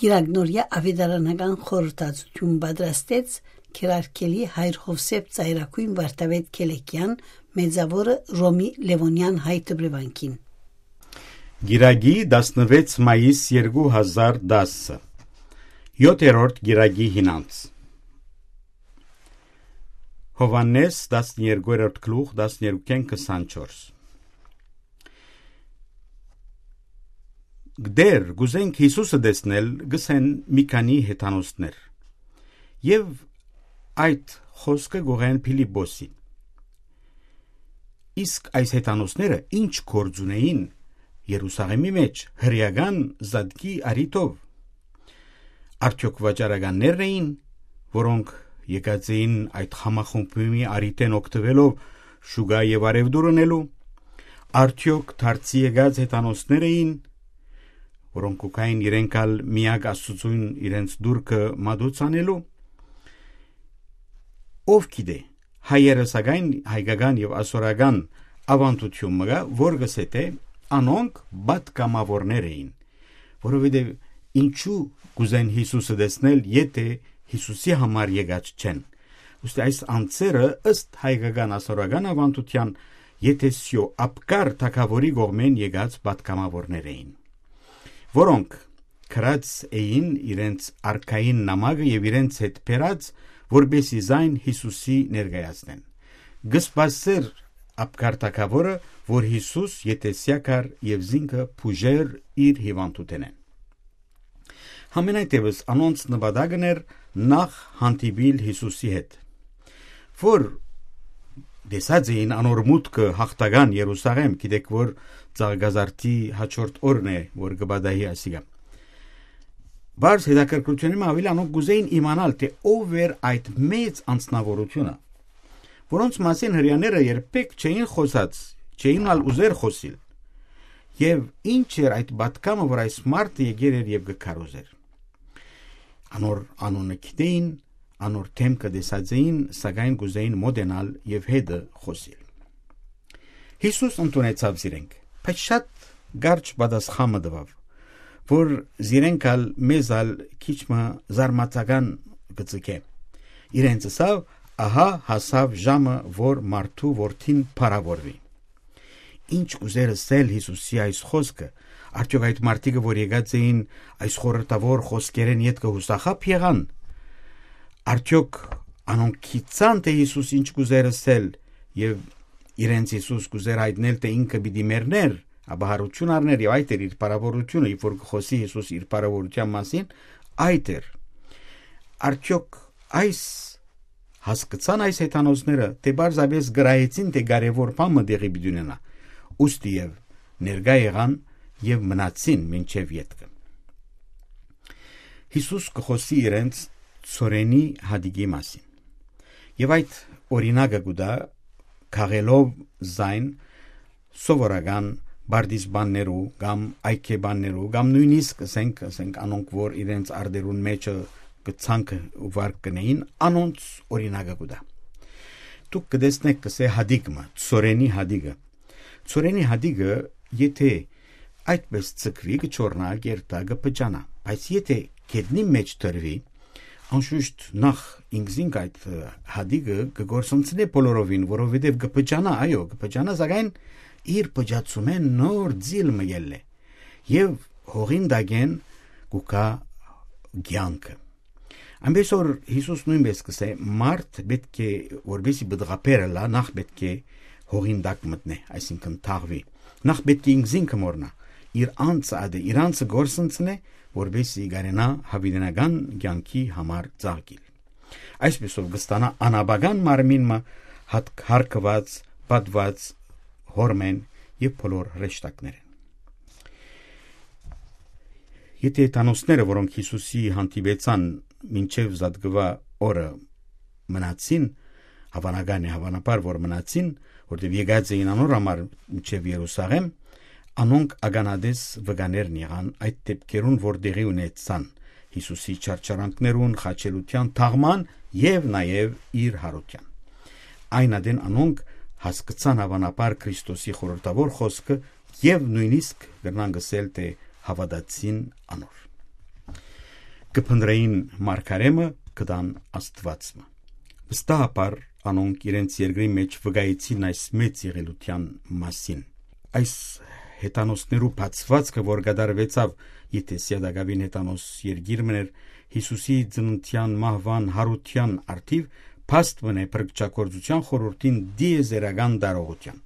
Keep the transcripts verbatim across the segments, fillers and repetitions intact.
Կիրակնորիա աւետարանական խորհրդածութիւն պատրաստեց Քերարքելի հայր Յովսէփ Ծայրագոյն Վարդապետ Քելեքեան, Մեծաւորը Ռոմի Լեւոնեան հայ դպրեվանքին։ Կիրակի, տասնվեց մայիս երկու հազար տասը, յոթերորդ կիրակի հինանց։ Յովհաննէս, տասներկերորդ գլուխ, տասներկուքէն քսանչորս։ «Դեր, կ'ուզենք Յիսուսը տեսնել», կ'ըսեն մի քանի հեթանոսներ։ Եւ այդ խօսքը կ'ուղղեն Փիլիպպոսին։ Իսկ այս հեթանոսները ի՞նչ գործ ունէին Երուսաղէմի մէջ հրեական զատկի առիթով։ Արդեօք վաճառականներն էին, որոնք եկած էին այդ խամախմբումի առիթէն օգտուելով շուկայ եւ առեւտուր ընելու։ Արդեօք դարձի եկած հեթանոսներ էին, որոնք կու գային իրենք ալ միակ Աստուծոյն իրենց դուրքը մատուցանելու։ Ով գիտէ, հայերը, սակայն, հայկական եւ ասորական աւանդութիւն մը կայ, որ կ'ըսէ թէ անոնք պատգամաւորներ էին, որովհետեւ ինչու կ'ուզեն Յիսուսը տեսնել, եթէ Յիսուսի համար եկած չեն։ Ուստի այս անձերը, ըստ հայկական ասորական աւանդութեան, եթեսիո Աբգար թագաւորի կողմէն եկած պատգամաւորներ էին, որոնք գրած էին իրենց արքային նամակը եւ իրենց հետ բերած, որպեսզի զայն Յիսուսի ներկայացնեն։ Կը սպասէր Աբգար թագաւորը, որ Յիսուս եթեսիա գար եւ զինքը բուժէր իր հիւանդութենէն։ Համենայնդէպս անոնց նպատակն էր նախ հանդիպիլ Յիսուսի հետ, որ տեսած էին անոր մուտքը յաղթական Երուսաղէմ, գիտեք, որ Ծաղկազարդի հաջորդ օրն է, որ կը պատահի ասիկա։ Բարձ հետաքրքրութիւնի մը աւելի անոնք կ'ուզեին իմանալ, թէ ով էր այդ մեծ անձնաւորութիւնը, որոնց մասին հրեաները երբեք չէին խօսած, չէին ալ ուզեր խօսիլ։ Եւ ինչ էր այդ պատգամը, որ այս մարդը եկեր էր եւ կը քարոզեր։ Անոր անունը գիտեին, անոր դէմքը տեսած էին, սակայն կ'ուզեին մօտենալ եւ հետը խօսիլ։ Յիսուս ընդունեցաւ զիրենք, բայց շատ կարճ պատասխան մը տուաւ, որ զիրենք ալ մեզ ալ քիչ մը զարմացական կը ձգէ։ Իրենց ըսաւ. «Ահա հասաւ ժամը, որ մարդու որդին փառաւորուի»։ Ինչ կ'ուզեր ըսել Յիսուսի այս խօսքը։ Արդեօք այդ մարդիկը, որ եկած էին այս խորհրդաւոր խօսքերէն ետքը, յուսախա՞բ եղան։ Արդեօք անոնք գիտցան, թէ Յիսուս ինչ կ'ուզեր ըսել, եւ իրենց Յիսուս կ'ուզեր յայտնել, թէ ինքը պիտի մեռներ, ապա յարութիւն առներ, եւ այդ էր իր փառաւորութիւնը, երբ որ կը խօսի Յիսուս իր փառաւորութեան մասին, այդ էր։ Արդեօք այս հասկցան այս հեթանոսները, թէ պարզապէս գրայեցին, թէ կարեւոր բան մը տեղի պիտի ունենայ, ուստի եւ ներկայ եղան եւ մնացին մինչեւ ետքը։ Յիսուս կը խօսի իրենց ցորենի հատիկի մասին։ Եւ այդ օրինակը կու տայ, քաղելով զայն սովորական պարտիզպաններու կամ այգեպաններու կամ նոյնիսկ, ասենք, ասենք, անոնք, որ իրենց արտերուն մէջը կը ցանկ ու վարկ կ'ընէին, անոնց օրինակը կու տայ։ Դուք կը տեսնէք, կ'ըսէ, հատիկ մը, ցորենի հատիկը։ Ցորենի հատիկը, եթէ այդպես ձգուի, կը չորնայ, կ'երթայ, կը փճանայ, բայց եթէ գետնին մէջ դրուի, անշուշտ նախ ինքզինք այդ, ը, հատիկը կը կորսնցնէ բոլորովին, որովհետեւ կը փճանայ, այո, կը փճանայ, սակայն իր փճացումէն նոր ձիլ մը կ'ելլէ եւ հողին տակէն կու գայ կեանքը։ Այնպես որ Յիսուս նոյնպես կ'ըսէ, մարդ պէտք է, որպեսզի պտղաբեր ըլլայ, նախ պէտք է հողին տակ մտնէ, այսինքն թաղուի, նախ պէտք է ինքզինքը մոռնայ, իր անձը ատե, իր անձը կորսնցնէ, որպեսզի կարենայ յաւիտենական կեանքի համար ծաղկիլ։ Այսպիսով կը ստանայ անաբական մարմին մը, հատ-, հարգուած, պատուած Հօրմէն եւ բոլոր հրեշտակներէն։ Եթէ հեթանոսները, որոնք Յիսուսի հանդիպեցան մինչեւ զատկուայ օրը մնացին, հաւանական է, հաւանաբար որ մնացին, որտեւ եկած էին անոր համար մինչեւ Երուսաղէմ, անոնք ականատես վկաներն եղան այդ դեպքերուն, որ տեղի ունեցան Յիսուսի չարչարանքներուն, խաչելութեան, թաղման եւ նաեւ իր յարութեան։ Այն ատեն անոնք հասկցան հաւանաբար Քրիստոսի խորհրդաւոր խօսքը եւ նոյնիսկ կրնանք ըսել, թէ հաւատացին անոր։ Կը փնտռէին մարգարէ մը, կը տան Աստուած մը։ Վստահաբար անոնք իրենց երկրի մէջ վկայեցին այս մեծ եղելութեան մասին։ Այս հեթանոսներու բացուածքը, որ կատարուեցաւ, եթէ Սիատակաւին հեթանոս երկիր մըն էր, Յիսուսի ծննդեան, մահուան, յարութեան արդիւ, փաստ մըն է փրկչագործութեան խորհուրդին դիեզերական տարողութեան։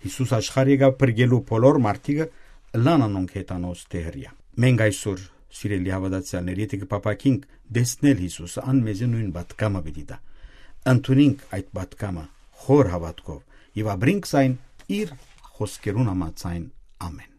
Յիսուս աշխարհ եկաւ փրկելու բոլոր մարդիկը, ըլլան անոնք հեթանոս թէ հրեայ։ Մենք այսօր, սիրելի հաւատացեալներ, եթէ կը փափաքինք տեսնել Յիսուսը, ան մեզի նոյն պատգամը պիտի տայ։ Ընդունինք այդ պատգամը խոր հաւատքով եւ ապրինք զայն իր խօսքերուն համաձայն։ Ամէն։